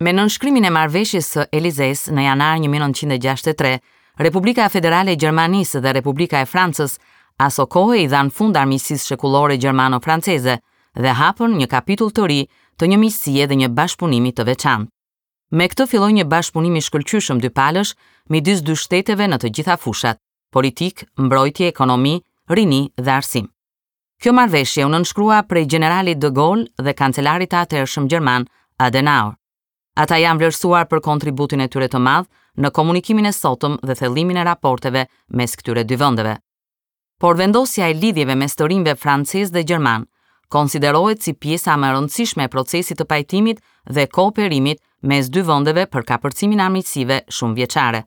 Me nënshkrimin e Marrëveshjes së Elizesë në janar 1963, Republika Federale e Gjermanisë dhe Republika e Francës asokohe i dhanë fund armiqësisë shekullore gjermano-franceze dhe hapën një kapitull të ri të një miqësie dhe një bashkëpunimi të veçantë. Me këtë filloi një bashkëpunim i shkëlqyeshëm dypalësh midis dy shteteve në të gjitha fushat, politikë, mbrojtje, ekonomi, rini dhe arsim. Kjo marrëveshje u nënshkrua prej gjeneralit de Gaulle dhe kancelarit të atëhershëm gjerman Adenauer. Ata janë vlerësuar për kontributin e tyre të madh në komunikimin e sotëm dhe thellimin e raporteve mes këtyre dy vendeve. Por vendosja e lidhjeve mes të rinjve francezë dhe gjermanë konsiderohet si pjesa më e rëndësishme e procesit të pajtimit dhe kooperimit mes dy vendeve për kapërcimin e armiqësive shumëvjeçare.